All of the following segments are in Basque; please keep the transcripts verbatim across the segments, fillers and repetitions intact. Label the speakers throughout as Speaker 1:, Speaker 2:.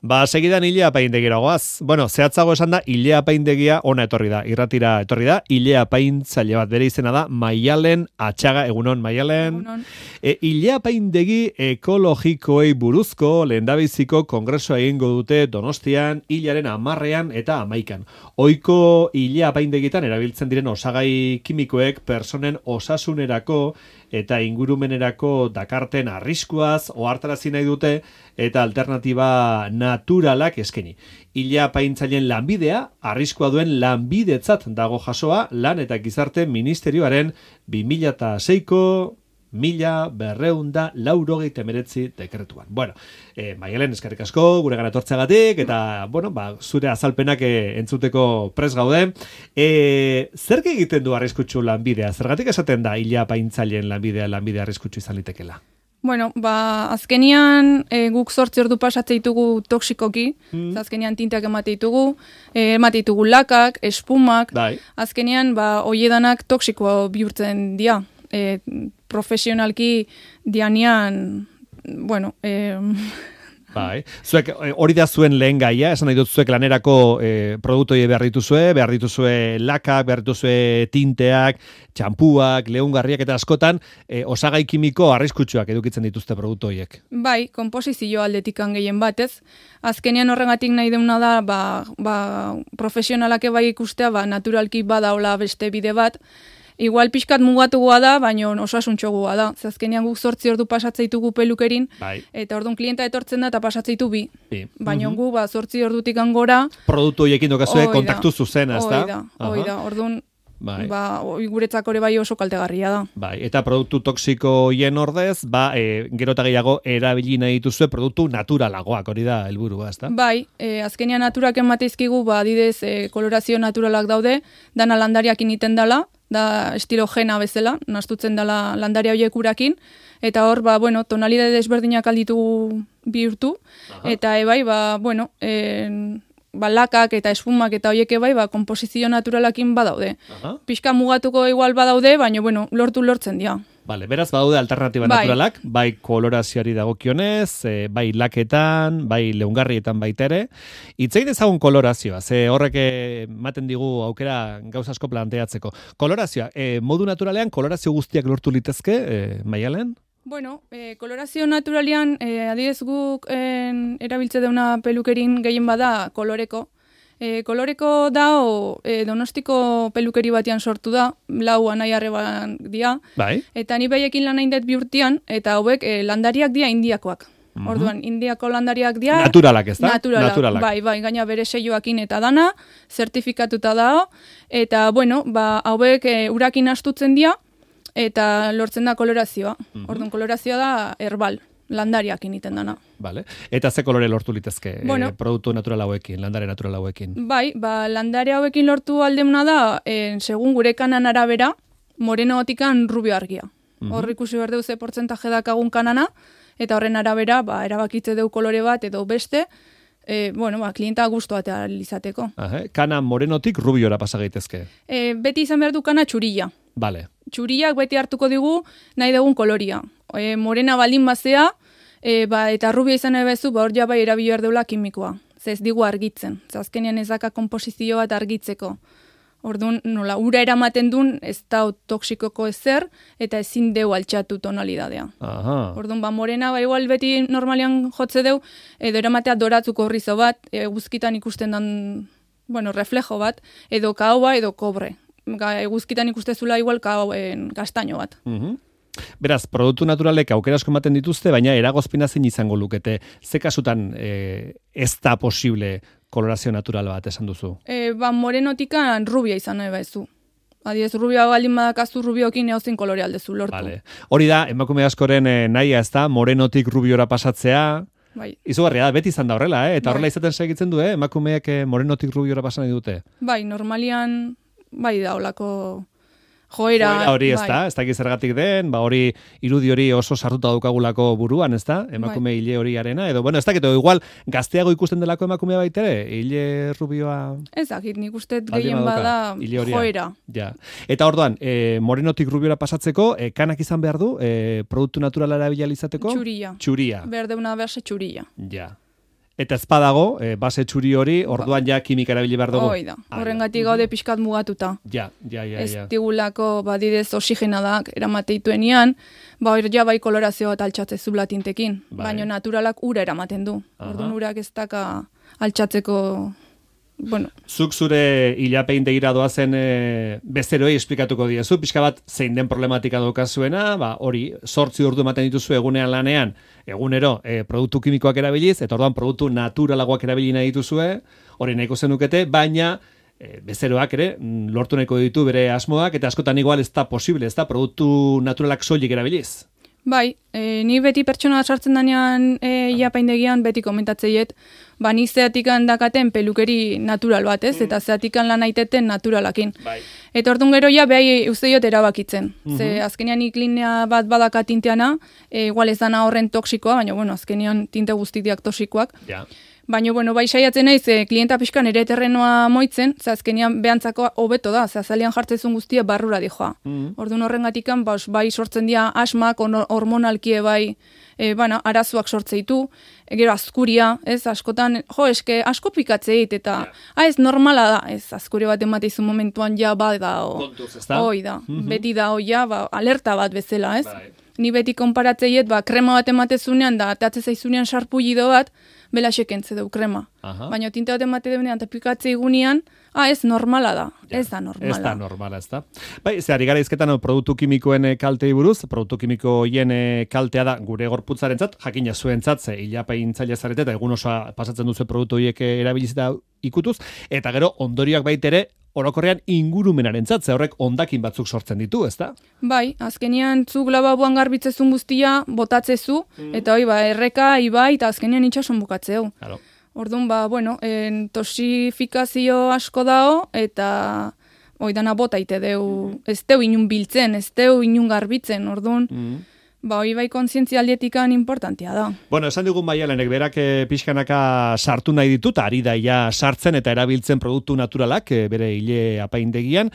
Speaker 1: Ba, segidan Ilea apaindegira goaz. Bueno, zehatzago esan da, Ilea apaindegia ona etorri da, irratira etorri da, Ilea apaintzaile bat, bere izena da, Maialen Atxaga, egunon, Maialen.
Speaker 2: Egunon.
Speaker 1: E, Ilea apaindegi ekologikoei buruzko lehendabiziko kongresua egingo dute Donostian, hilaren amarrean eta amaikan. Ohiko Ilea apaindegitan erabiltzen diren osagai kimikoek personen osasunerako eta ingurumenerako dakarten arriskuaz ohartarazi nahi dute eta alternatiba naturalak eskaini. Ilea apaintzaileen lanbidea, arriskua duen lanbidetzat dago jasoa lan eta gizarte ministerioaren bi mila seiko mila berreunda laurogeita hemeretzi dekretuan. Bueno, eh, Maialen, eskerrik asko, gure gara etortzeagatik, eta, bueno, ba, zure azalpenak eh, entzuteko pres gaude. Eh, zer egiten du arriskutsu lanbidea? Zergatik esaten da Ilea apaintzaileen lanbidea, lanbidea arriskutsu izan litekela?
Speaker 2: Bueno, ba, azkenian e, guk zortzi ordu pasatze ditugu toksikoki, mm. azkenian tintak emate ditugu, e, emate ditugu lakak, espumak,
Speaker 1: Dai.
Speaker 2: azkenian ba, oiedanak toksikoa bihurtzen dira. E, profesionalki dianian, bueno, e,
Speaker 1: Bai, zuek hori da zuen lehen gaia, esan nahi dut zuek lanerako eh, produktoi behar dituzue, behar dituzue lakak, behar dituzue tinteak, txampuak, leungarriak eta askotan eh, osagai kimiko arriskutsuak edukitzen dituzte produktoiek.
Speaker 2: bai, konposizio aldetikan gehien batez. Azkenean horregatik nahi deuna da, ba, ba, profesionalak bai ikustea, ba, naturalki badaola beste bide bat, igual pixkat mugatugoa da, baina osasuntxogoa da. Azkenean guk zortzi ordu pasatzeitugu pelukerin,
Speaker 1: Bai.
Speaker 2: eta orduan klienta etortzen da eta pasatzeitu bi.
Speaker 1: Bi.
Speaker 2: Baina
Speaker 1: Mhm.
Speaker 2: gu, ba, zortzi ordutik angora,
Speaker 1: Produktu horiekin dokazue
Speaker 2: Hoi da.
Speaker 1: kontaktu zuzena, ezta?
Speaker 2: hoi da, hoi da. Orduan,
Speaker 1: Bai.
Speaker 2: ba, hoi guretzako ere bai oso kaltegarria da.
Speaker 1: Bai, eta produktu toksiko hien ordez, ba, e, gero eta gehiago erabili nahi dituzue produktu naturalagoak, hori da helburua, ezta?
Speaker 2: Bai, e, azkenean naturak emateizkigu, ba, adidez, e, kolorazio naturalak daude, dana landariak initen dela, da estilo jena bezala, nastutzen dela landaria horiek urakin, eta hor, ba, bueno, tonalidade desberdinak alditugu bihurtu,
Speaker 1: Aha.
Speaker 2: eta ebai, ba, bueno, en, ba, lakak eta espumak eta horiek ebai, ba, komposizio naturalakin badaude.
Speaker 1: Aha.
Speaker 2: Pixka mugatuko igual badaude, baina, bueno, lortu lortzen dira.
Speaker 1: Vale, beraz badaude alternatiba
Speaker 2: Bai.
Speaker 1: naturalak, bai kolorazioari dagokionez, e, bai laketan, bai leungarrietan baita ere. Itzein ezagun kolorazioa, ze horrek ematen digu aukera gauza asko planteatzeko. Kolorazioa, e, modu naturalean kolorazio guztiak lortu litezke, e, Maialen?
Speaker 2: Bueno, eh, kolorazio naturalian, eh, adidez guk en, erabiltze deuna pelukerin gehien bada koloreko. Eh, koloreko da, o, eh, Donostiko pelukeri batian sortu da, lau anai arreban dia,
Speaker 1: Bai.
Speaker 2: eta ni behiekin lan hain dut bihurtian, eta hauek eh, landariak dia indiakoak.
Speaker 1: Mhm.
Speaker 2: Orduan, indiako landariak dia...
Speaker 1: Naturalak, ez da?
Speaker 2: Naturalak,
Speaker 1: Naturalak.
Speaker 2: bai, bai, gaina bere seioakin eta dana, zertifikatuta dao, eta, bueno, ba, hauek e, urakin astutzen dira, eta lortzen da kolorazioa.
Speaker 1: Mhm.
Speaker 2: Orduan, kolorazioa da herbal, landariak initen dana.
Speaker 1: Vale. Eta ze kolore lortu litezke
Speaker 2: Bueno.
Speaker 1: e, produktu natural hauekin, landare natural hauekin?
Speaker 2: Bai, ba, landare hauekin lortu aldemuna da, en, segun gure kanan arabera, moreno otikan rubio argia.
Speaker 1: Mhm.
Speaker 2: Hor ikusi behar deu ze portzentaje dakagun kanana, eta horren arabera, ba, erabakitze deu kolore bat edo beste, e, bueno, ba, klienta guztua eta izateko.
Speaker 1: Aha, kana morenotik rubiora pasa gaitezke.
Speaker 2: E, beti izan behar du kana txurilla.
Speaker 1: Vale.
Speaker 2: Txuriak beti hartuko digu nahi dugun koloria. E, morena baldin bazea, e, ba, eta rubia izan nahi bezu, ba, hor ja bai erabili behar deula kimikoa. Ze ez digu argitzen. Ze azkenean ez daka komposizio bat argitzeko. Orduan, nola, ura eramaten duen ez da toksikoko ezer, eta ezin deu altxatu tonalidadea.
Speaker 1: Aha.
Speaker 2: Orduan, ba, morena, ba, igual beti normalian jotze deu, edo eramatea doratzuko horrizo bat, e, guzkitan ikusten dan, bueno, reflejo bat, edo kaoba, edo kobre. Ga, eguzkitan ikustezula igual kao, en, kastaino bat.
Speaker 1: Mhm. Beraz, produktu naturalek aukera asko ematen dituzte, baina eragozpena zein izango lukete. Ze kasutan e, ez da posible kolorazio natural bat esan duzu?
Speaker 2: E, ba, morenotikan rubia izan nahi baizu. Adiez, rubia baldin badakazu rubiokin eozin kolore aldezu lortu.
Speaker 1: Vale. Hori da, emakume askoren e, nahia ez da, morenotik rubiora pasatzea,
Speaker 2: Bai,
Speaker 1: izugarria da, beti izan da horrela, eh? eta
Speaker 2: Bai.
Speaker 1: horrela izaten segitzen du, eh? emakumeek e, morenotik rubiora pasan nahi dute.
Speaker 2: bai, normalian, bai da olako joera.
Speaker 1: Joera hori ez
Speaker 2: bai.
Speaker 1: da, ez dakit zergatik den, ba hori irudi hori oso sartuta daukagulako buruan, ez da, emakume
Speaker 2: Bai.
Speaker 1: hile horiarena, edo, bueno, ez dakit, edo igual gazteago ikusten delako emakumea baitere, hile rubioa...
Speaker 2: Ez dakit, nik uste
Speaker 1: Baldin
Speaker 2: gehien
Speaker 1: badauka,
Speaker 2: bada
Speaker 1: hile horia.
Speaker 2: joera.
Speaker 1: Ja. Eta orduan, e, morenotik rubiora pasatzeko, e, kanak izan behar du, e, produktu naturala erabili izateko?
Speaker 2: Txuria.
Speaker 1: Txuria.
Speaker 2: Behar deuna berse txuria.
Speaker 1: Ja. Eta ez badago, e, base txuri hori, orduan ja kimika erabili behar dugu.
Speaker 2: Hoi da, horrengatik gaude pixkat mugatuta.
Speaker 1: Ja, ja, ja.
Speaker 2: Ez digulako, badidez, oxigenadak eramateituenian, ba, hor ja bai kolorazio bat altxatzezula tintekin, baina naturalak ura eramaten du. Orduan urak ez daka altxatzeko... Bueno.
Speaker 1: Zuk zure ilapaindegira doazen e, bezeroei esplikatuko diezu, pixka bat zein den problematika daukazuena, ba, hori, sortzi ordu ematen dituzu egunean lanean, egunero e, produktu kimikoak erabiliz, eta orduan produktu naturalagoak erabili nahi dituzue, hori nahiko zenukete, baina e, bezeroak ere, lortu nahiko ditu bere asmoak, eta askotan igual ez da posible, ez da, produktu naturalak soilik erabiliz.
Speaker 2: Bai, e, ni beti pertsona sartzen danean e, iapaindegian beti komentatzeiet, ba ni zeatikan dakaten pelukeri natural bat, ez? Eta zeatikan lan aiteten naturalakin. Bai. Eta orduan gero ja behai uzeiot erabakitzen. Mm-hmm. Ze azkenean iklinea bat badaka tinteana, e, igual ez dana horren toksikoa, baina bueno, azkenean tinte guztiak toksikoak. Ja. Baina, bueno, bai saiatzen naiz, e, klienta pixkan ere terrenoa moitzen, ze azkenean behantzako hobeto da, ze azalean jartzezun guztia barrura dijoa. Mm-hmm. Orduan horrengatikan, ba, bai sortzen dira asmak, hormonalkie bai, e, bana, arazoak sortzeitu, e, gero azkuria, ez, askotan, jo, eske, asko pikatzeit, eta, yeah. ah, ez normala da, ez, azkuri bat emateizu momentuan ja, ba, da, o, kontuz, ez da? Hoi da, mm-hmm. beti da, o, ja, ba, alerta bat bezala, ez? Bai. Ni beti konparatzeiet, ba, krema bat ematezunean, da, atatze zaizunean sarpullido bat, bela sekentze deu krema. Aha. Baina tinte bat emate deunean, eta pikatze igunean, ah, ez normala da, ja, ez da normala.
Speaker 1: Ez da normala, ez da. Bai, ze ari gara izketan produktu kimikoen kaltei buruz, produktu kimiko hien kaltea da gure gorputzarentzat, jakina zuentzat, ze ilapaintzaile zarete, eta egun osoa pasatzen duzu produktu horiek erabilizita ikutuz, eta gero ondorioak baitere, orokorrean ingurumenaren zatze horrek ondakin batzuk sortzen ditu, ezta?
Speaker 2: Bai, azkenean zuk lababuan garbitzezun guztia, botatzezu, mm. eta hoi, ba, erreka, ibai, eta azkenean itxason bukatzeu. Claro. Orduan, ba, bueno, en, tosifikazio asko dao, eta hoi dana botaite deu, mm. ez deu inun biltzen, ez deu inun garbitzen, orduan, mm. ba, hoi bai kontzientzia aldietikan importantia da.
Speaker 1: Bueno, esan digun Maialenek, berak e, pixkanaka sartu nahi ditut, ari daia sartzen eta erabiltzen produktu naturalak, e, bere hile apaindegian.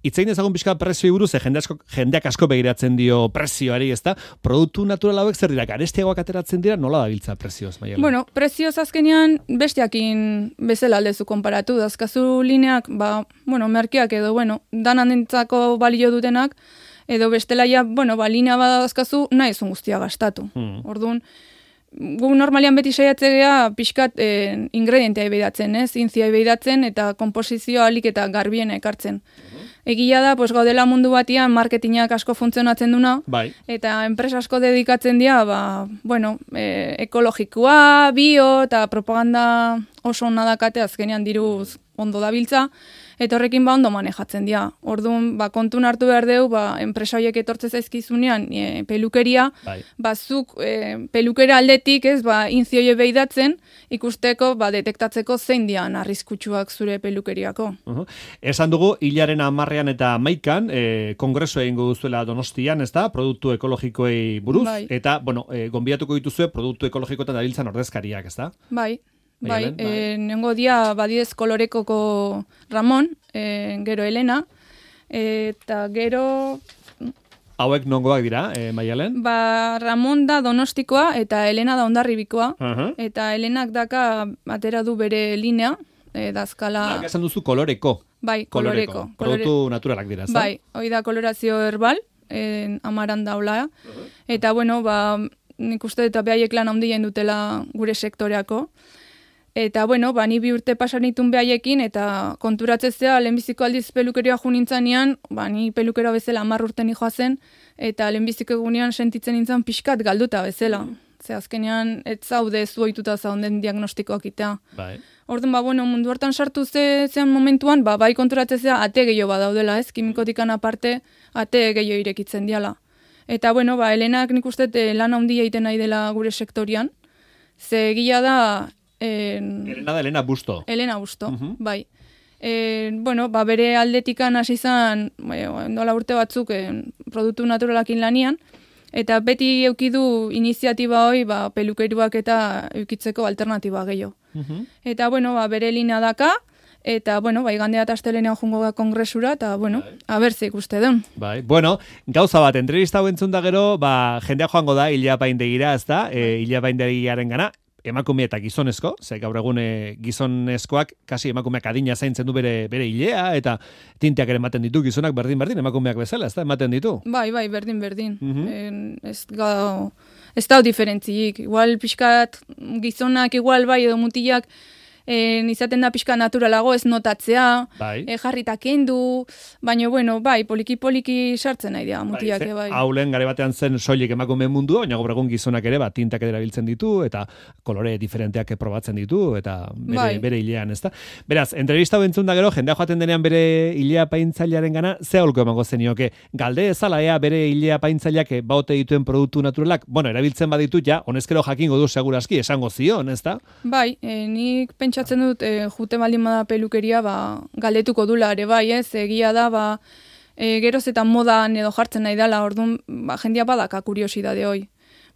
Speaker 1: Itzein ezagun pixka prezio buruz, jende asko, jendeak asko begiratzen dio prezioari, ez da? Produktu natural hauek zer dira, garestiagoak ateratzen dira, nola dabiltza prezioz, Maialen?
Speaker 2: Bueno, prezioz azkenean besteakin bezala aldezu konparatu, dazkazu lineak, ba, bueno, merkeak edo, bueno, danan dintzako balio dutenak, edo bestela ja, bueno, ba, linea badazkazu, nahi ezun guztia gastatu. Hmm. Orduan, gu normalian beti saiatzea pixkat eh, ingredientea ebeidatzen, ez? Intzia ebeidatzen eta komposizioa alik eta garbien ekartzen. Uh-huh. Egia da, pues, gaudela mundu batian marketingak asko funtzionatzen duna, bai. Eta enpresa asko dedikatzen dira, ba, bueno, e, ekologikoa, bio, eta propaganda oso onna dakate azkenean diruz ondo dabiltza, eta horrekin ba ondo manejatzen dira. Orduan, ba, kontun hartu behar deu, ba, enpresa horiek etortze zaizkizunean e, pelukeria, bai. Bazuk e, pelukera aldetik, ez, ba, inzioie behidatzen, ikusteko, ba, detektatzeko zein dian arriskutsuak zure pelukeriako. Uh-huh. Esan dugu, hilaren amarrean eta maikan, e, kongresu egingo duzuela Donostian, ez da, produktu ekologikoei buruz, bai. Eta, bueno, e, gonbidatuko dituzue produktu ekologikoetan dabiltzan ordezkariak, ez da? Bai. Bai, bai. E, nengo dia badidez kolorekoko Ramon, e, gero Elena, e, eta gero...
Speaker 1: Hauek nongoak dira, e, Maialen?
Speaker 2: Ba, Ramon da Donostikoa eta Elena da Hondarribikoa, uh-huh. Eta Elenak daka atera du bere linea, e, dazkala...
Speaker 1: Hak esan duzu koloreko.
Speaker 2: Bai, koloreko. koloreko.
Speaker 1: Produktu Kolore... naturalak dira, ez da?
Speaker 2: Bai, hoi da kolorazio herbal, e, amaran daula, uh-huh. Eta bueno, ba, nik uste eta behaiek lan handia dutela gure sektoreako. Eta, bueno, ba, ni bi urte pasanitun behaiekin, eta konturatzezea, lehenbiziko aldiz pelukeria junintzanean, ba, ni pelukera bezala hamar urte nijoa zen, eta lehenbiziko egunean sentitzen nintzen pixkat galduta bezala. Ze azkenean, ez zaude zuoituta zaunden diagnostikoak itea. Bai. Orduan, ba, bueno, mundu hartan sartu ze, zean momentuan, ba, bai konturatzezea, ate gehiago badaudela, ez? Kimikotikan aparte, ate gehiago irekitzen diala. Eta, bueno, ba, Helenak nik uste lan handia egiten nahi dela gure sektorian, ze gila da, En...
Speaker 1: Elena da Elena Busto.
Speaker 2: Elena Busto, uh-huh. Bai. E, bueno, ba, bere aldetikan hasi izan, e, nola urte batzuk e, produktu naturalakin lanian, eta beti eukidu iniziatiba hoi ba, pelukeruak eta eukitzeko alternatiba gehiago. Uh-huh. Eta, bueno, ba, bere linea daka, eta, bueno, bai, gandea eta astelenean jungo da kongresura, eta, bueno, bai. Abertze ikuste den. Bai,
Speaker 1: bueno, gauza bat, entrevista hau entzun da gero, ba, jendea joango da, Ilapaindegira, ez da, e, Ilapaindegiaren gana, emakume eta gizonezko, ze gaur egun e, gizonezkoak kasi emakumeak adina zaintzen du bere bere ilea eta tinteak ere ematen ditu gizonak berdin berdin emakumeak bezala, ez da ematen ditu.
Speaker 2: Bai, bai, berdin berdin.
Speaker 1: Mhm.
Speaker 2: En, ez ga ez da diferentziik. Igual pixkat gizonak igual bai edo mutilak en, izaten da pixka naturalago ez notatzea,
Speaker 1: Bai.
Speaker 2: e, jarrita kendu, baina bueno, bai, poliki-poliki sartzen nahi dira mutilak,
Speaker 1: Bai,
Speaker 2: bai.
Speaker 1: Haulen gare batean zen soilik emakume mundua, baina gaur egun gizonak ere bat tintak erabiltzen ditu eta kolore diferenteak probatzen ditu eta bere,
Speaker 2: Bai.
Speaker 1: bere hilean, ezta? Beraz, entrevista hau entzun da gero, jendea joaten denean bere hilea paintzailearen gana, ze aholko emango zenioke? Galde ezala ea bere hilea paintzaileak baote dituen produktu naturalak, bueno, erabiltzen baditu ja, honezkero jakingo du segurazki, esango zion, ezta?
Speaker 2: Bai, e, nik pentsatzen dut e, jute baldin bada pelukeria ba, galdetuko dula ere bai, ez? Egia da, ba, e, geroz eta modan edo jartzen nahi dela, orduan ba, jendia badaka kuriosidade hoi.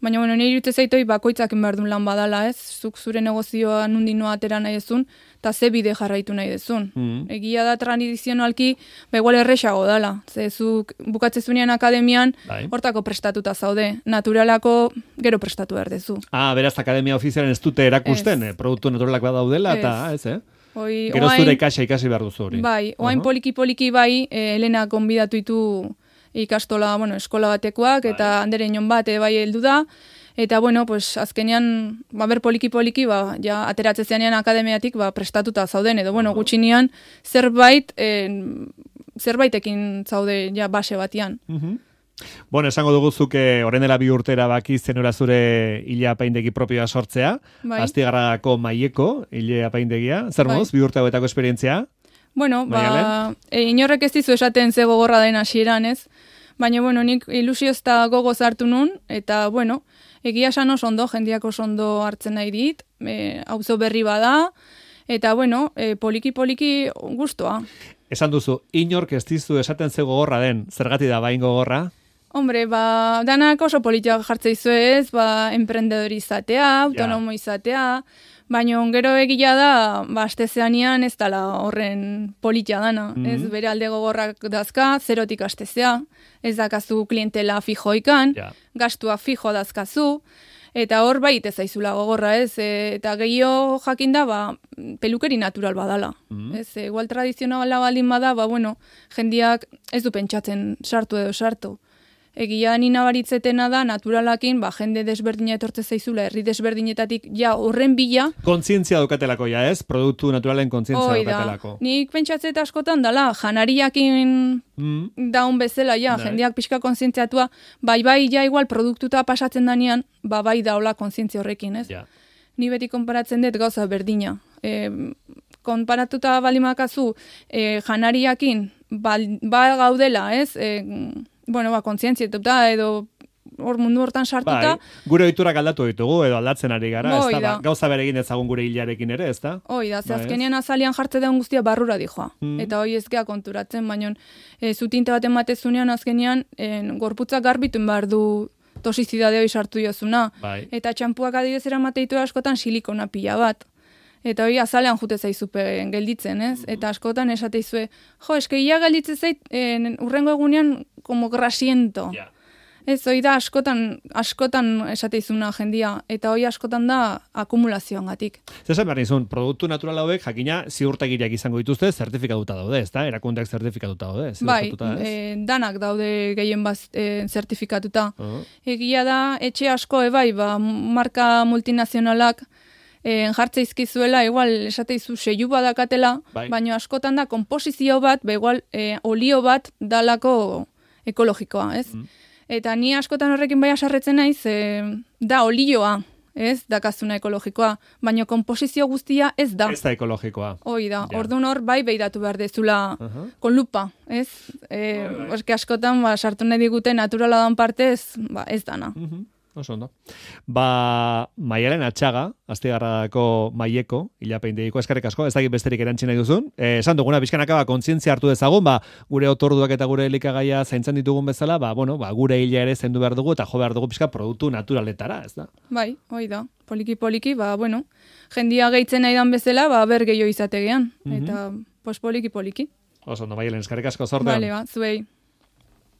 Speaker 2: Baina, bueno, nire irute zaitoi bakoitzak behar duen lan badala, ez? Zuk zure negozioa nundi noa atera nahi dezun, eta ze bide jarraitu nahi dezun.
Speaker 1: Mm.
Speaker 2: Egia da tradizionalki, ba igual erresago dala. Ze zuk bukatzezunean akademian,
Speaker 1: Bai.
Speaker 2: hortako prestatuta zaude. Naturalako gero prestatu behar dezu.
Speaker 1: Ah, beraz, akademia ofizialen ez dute erakusten,
Speaker 2: Ez.
Speaker 1: eh, produktu naturalak badaudela, eta,
Speaker 2: Ez.
Speaker 1: ez, eh?
Speaker 2: Hoi,
Speaker 1: Gero
Speaker 2: oain-
Speaker 1: zure ikasa ikasi behar duzu hori.
Speaker 2: Bai, oain
Speaker 1: Aha.
Speaker 2: poliki-poliki bai, e, Elena gonbidatu ditu ikastola, bueno, eskola batekoak, eta andere inon bat e, bai heldu da, eta bueno, pues azkenean, ba, ber poliki-poliki, ba, ja, ateratze zeanean akademiatik, ba, prestatuta zauden, edo, bueno, gutxinean, zerbait, e, zerbaitekin zaude, ja, base batian.
Speaker 1: Mhm. Bueno, esango dugu zuke orain dela bi urtera baki zenura zure hilea apaindegi propioa sortzea,
Speaker 2: Bai.
Speaker 1: Astigarragako Maieko hilea apaindegia, zer
Speaker 2: Bai.
Speaker 1: moduz, bi urte hauetako esperientzia?
Speaker 2: Bueno, ba,
Speaker 1: Maialen?
Speaker 2: e, inorrek ez dizu esaten ze gogorra den hasieran, ez? Baina, bueno, nik ilusioz eta gogoz hartu nun, eta, bueno, egia esan oso ondo, jendiak oso ondo hartzen nahi dit, e, auzo berri bada, eta, bueno, e, poliki-poliki gustoa.
Speaker 1: Esan duzu, inork ez dizu esaten ze gogorra den, zergati da bain gogorra?
Speaker 2: Hombre, ba, danak oso politiak jartze izuez, ba, emprendedori izatea, autonomo izatea, baina gero egia da, ba, astezeanian ez dala horren politia dana.
Speaker 1: Mhm.
Speaker 2: Ez bere alde gogorrak dazka, zerotik astezea, ez dakazu klientela fijoikan,
Speaker 1: Ja.
Speaker 2: gastua fijo dazkazu, eta hor bai ez zaizula gogorra, ez? E, eta gehiago jakinda, ba, pelukeri natural badala.
Speaker 1: Mhm.
Speaker 2: Ez, e, igual tradizionala baldin bada, ba, bueno, jendiak ez du pentsatzen sartu edo sartu. Egia ni nabaritzetena da, naturalakin, ba, jende desberdina etortze zaizula, herri desberdinetatik, ja, horren bila,
Speaker 1: Kontzientzia daukatelako ja, ez? Produktu naturalen kontzientzia
Speaker 2: hoi da.
Speaker 1: daukatelako.
Speaker 2: Nik pentsatzet askotan dala, janariakin
Speaker 1: Mm.
Speaker 2: daun bezala, ja,
Speaker 1: Bai.
Speaker 2: jendeak pixka kontzientziatua, bai, bai, ja, igual, produktuta pasatzen danean, ba, bai daola kontzientzia horrekin, ez?
Speaker 1: Ja.
Speaker 2: Ni beti konparatzen dut gauza berdina. E, konparatuta balimakazu e, janariakin bal, ba gaudela, ez? E, bueno, ba, kontzientzietuta edo hor mundu hortan sartuta,
Speaker 1: Bai, gure ohiturak aldatu ditugu edo aldatzen ari gara,
Speaker 2: Hoi
Speaker 1: ez da,
Speaker 2: da.
Speaker 1: ba, gauza bere egin ezagun gure hilarekin ere, ez da?
Speaker 2: hoi da, ze
Speaker 1: Bai, ez?
Speaker 2: azkenean azalian jartze daun guztia barrura dijoa.
Speaker 1: Mm.
Speaker 2: Eta hoi ez gea konturatzen, baina e, zutinte bat ematezunean azkenean e, gorputzak garbitun behar du tosizidade hoi sartu jozuna.
Speaker 1: Bai.
Speaker 2: Eta txampuak adibidez eramateitu askotan silikona pila bat. Eta hori azalean jute zaizupe gelditzen, ez? Eta askotan esateizue, jo, eske ia gelditzen zait, en, urrengo egunean, como grasiento.
Speaker 1: Ja.
Speaker 2: Ez, hori da askotan, askotan esateizuna jendia, eta hori askotan da akumulazioangatik.
Speaker 1: Zesan behar nizun, produktu natural hauek jakina ziurtagiriak izango dituzte, zertifikatuta daude, ez da? Erakundeak zertifikatuta daude,
Speaker 2: Bai,
Speaker 1: ziurtatuta, ez?
Speaker 2: e, danak daude gehien baz e, zertifikatuta.
Speaker 1: Uh-huh.
Speaker 2: Egia da, etxe asko, ebai, ba, marka multinazionalak e, jartze izkizuela, igual esateizu seiu badakatela,
Speaker 1: Bai.
Speaker 2: baina askotan da komposizio bat, ba, igual e, olio bat dalako ekologikoa, ez?
Speaker 1: Mm.
Speaker 2: Eta ni askotan horrekin bai asarretzen naiz, e, da olioa, ez, dakazuna ekologikoa, baina komposizio guztia ez da.
Speaker 1: Ez da ekologikoa.
Speaker 2: Hoi da,
Speaker 1: Ja.
Speaker 2: orduan hor bai beiratu behar dezula
Speaker 1: Aha.
Speaker 2: con lupa, ez? E, eske askotan ba, sartu nahi digute naturala dan partez, ba, ez dana.
Speaker 1: Mhm. Oso ondo. Ba, Maialen Atxaga, Astigarragako Maieko, hilapeindegiko eskerrik asko, ez dakit besterik erantzi nahi duzun. Eh, esan duguna, bizkanaka, ba, kontzientzia hartu dezagun, ba, gure otorduak eta gure elikagaia zaintzen ditugun bezala, ba, bueno, ba, gure hila ere zendu behar dugu, eta jo behar dugu pixka produktu naturaletara, ez da?
Speaker 2: Bai, hoi da, poliki-poliki, ba, bueno, jendia gehitzen nahi dan bezala, ba, ber gehiago izategean, eta, pues, poliki-poliki.
Speaker 1: Oso ondo, Maialen, eskerrik asko zortean.
Speaker 2: Vale, ba, zuei.